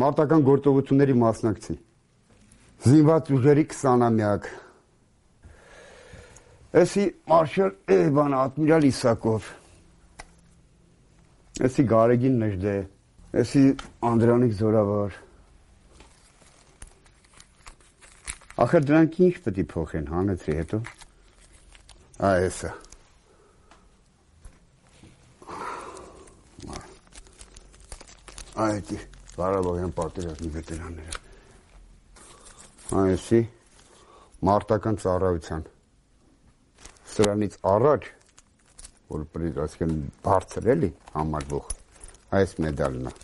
Մարտական գործողությունների մասնակցի։ Զինված ուժերի 20-ամյակ։ Էսի մարշալ Ադմիրալ Իսակով։ Էսի Գարեգին Նժդե։ Էսի Անդրանիկ Զորավար։ Ախր դրանք ինչ պետք է փոխեն, հանեցրի հետո։ Էսա։ Այդի Ղարաբաղյան պատերազմի վետերանները։ Այսի մարտական ծառայության։ Սրանից առաջ, որ ասկեն բարձր էլի համարվող, այս մեդալն է։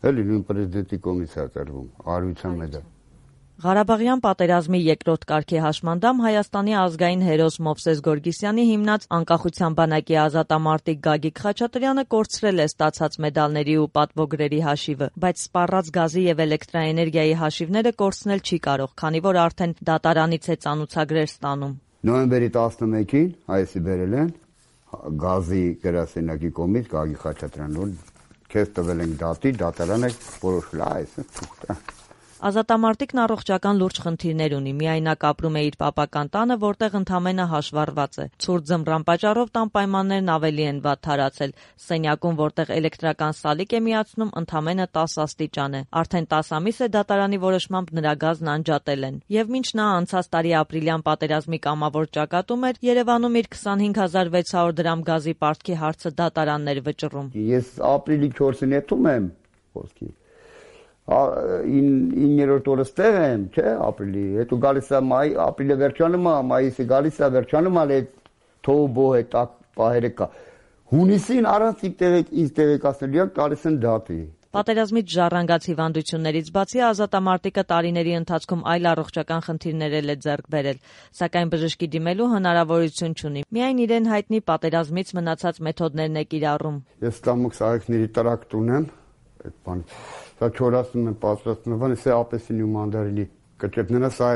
Էլի նույն պրեզիդենտի կողմից է տրվում, արարության մեդալ։ Ղարաբաղյան պատերազմի երկրորդ կարգի հաշմանդամ Հայաստանի ազգային հերոս Մովսես Գորգիսյանի հիմնած անկախության բանակի ազատամարտիկ Գագիկ Խաչատրյանը կորցրել է ստացած մեդալների ու պատվոգրերի հաշիվը, բայց սպառած գազի եւ էլեկտրաէներգիայի հաշիվները կորցնել չի կարող, քանի որ արդեն դատարանից է ծանուցագրեր ստանում։ Նոյեմբերի 11-ին այսի բերել են գազի գրասենյակի կողմից Գագիկ Խաչատրյանն, քեզ տվել են դատի, դատարանը որոշել է այս։ Ազատամարտիկն առողջական լուրջ խնդիրներ ունի, միայնակ ապրում է իր պապական տանը, որտեղ ընդամենը հաշվառված է։ Ցուրտ ձմռան պատճառով տան պայմաններն ավելի են վատ թարացել։ Սենյակում, որտեղ էլեկտրական սալիկ է միացնում, ընդամենը 10 աստիճան է։ Արդեն 10 ամիս է դատարանի որոշմամբ նրա գազն անջատել են։ Եվ մինչ նա անցած տարի ապրիլյան պատերազմի կամավոր ճակատում էր, Երևանում իր 25600 դրամ գազի պարտքի հարցը դատարանն էր վճռում։ Ես ապրիլի 4-ին եթում եմ, խոսքի 9-րդ օրը ստեղ եմ, չէ, ապրիլի, հետո գալիս է մայ, ապրիլը վերջանում է, մայիսը գալիս է վերջանում է, թոբո է, տակ պահերը կա։ Հունիսին առանց ինձ տեղեկացնելու գալիս են դատի։ Պատերազմից ժառանգած հիվանդություններից բացի ազատամարտիկը տարիների ընթացքում այլ առողջական խնդիրներ է ձեռք բերել, սակայն բժշկի դիմելու հնարավորություն չունի։ Միայն իրեն հայտնի պատերազմից մնացած մեթոդներն է կիրառում։ Ես ստամոք սահակների տրակտ ունեմ, այդ բան Սա չորացնում են, պատրաստում են, սա ապեսինի ու մանդարինի կճեպները, սա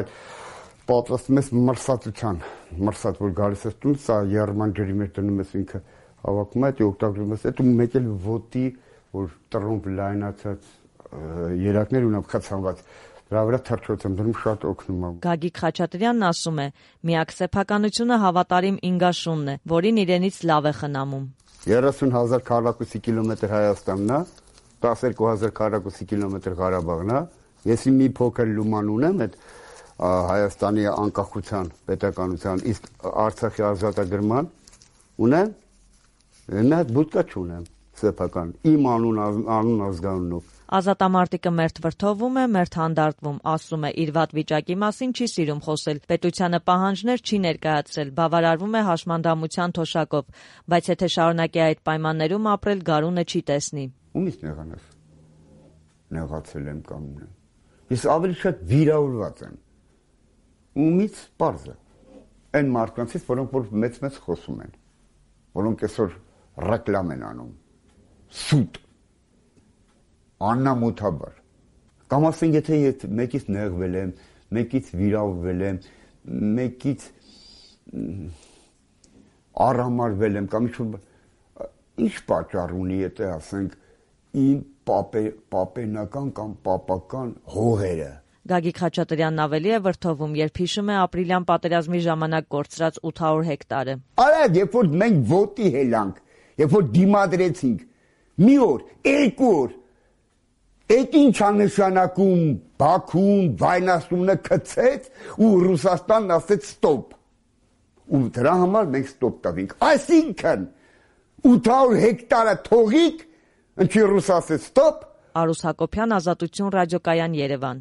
պատրաստում ես մրսածության, մրսած, որ գալիս ես տուն, սա երման ջրի մեջ դնում ես ինքը հավաքում է, օգտագործում ես, այդ ու մեկ էլ ոտի, որ տրոմպ լայնացած երակներ ունեմ խցանված, դրա վրա թռչոց եմ դնում, շատ օգնում է։ Գագիկ Խաչատրյանն ասում է, միակ սեփականությունը հավատարիմ ինգաշունն է, որին իրենից լավ է խնամում։ 30,000 քառակուսի կիլոմետր Հայաստանն է, 12,000 քառակուսի կիլոմետր Ղարաբաղն է, ես մի փոքր լուման ունեմ այդ Հայաստանի անկախության պետականության, իսկ Արցախի ազատագրման ունեմ, նա բուտկա չունեմ, սեփական, իմ անուն ազգանունով։ Ազատամարտիկը մերթ վրդովում է, մերթ հանդարտվում, ասում է, իր վատ վիճակի մասին չի սիրում խոսել, պետությանը պահանջներ չի ներկայացրել, բավարարվում է հաշմանդամության թոշակով, բայց եթե շարունակի այդ պայմաններում ապրել, գարունը չի տեսնի։ Ումից նեղանաս, նեղացել եմ կամ ունեմ, ես ավելի շատ վիրավորված եմ, ումից պարզ է, այն մարդկանցից, որոնք որ մեծ խոսում են, որոնք այսօր ռեկլամ են անում, սուտ, աննամոթաբար, կամ ասենք եթե մեկից նեղվել եմ, մեկից վիրավորվել եմ, մեկից առհամարվել եմ, կամ ինչ պատճառ ունի, եթե ասենք իմ պապենական կամ պապական հողերը։ Գագիկ Խաչատրյանն ավելի է վրդովում, երբ հիշում է ապրիլյան պատերազմի ժամանակ կորցրած 800 հեկտարը։ Արագ, երբ որ մենք ոտի հելանք, երբ որ դիմադրեցինք, մի օր, երկու օր, այդ ինչ աննշանակում Բաքուն վայնասումնը քցեց ու Ռուսաստանն ասեց ստոպ։ Ու դրա համար մենք ստոպ տվինք։ Այսինքն 800 հեկտարը թողիկ, ինչի Ռուս ասեց ստոպ։ Արուս Հակոբյան, Ազատություն ռադիոկայան, Երևան։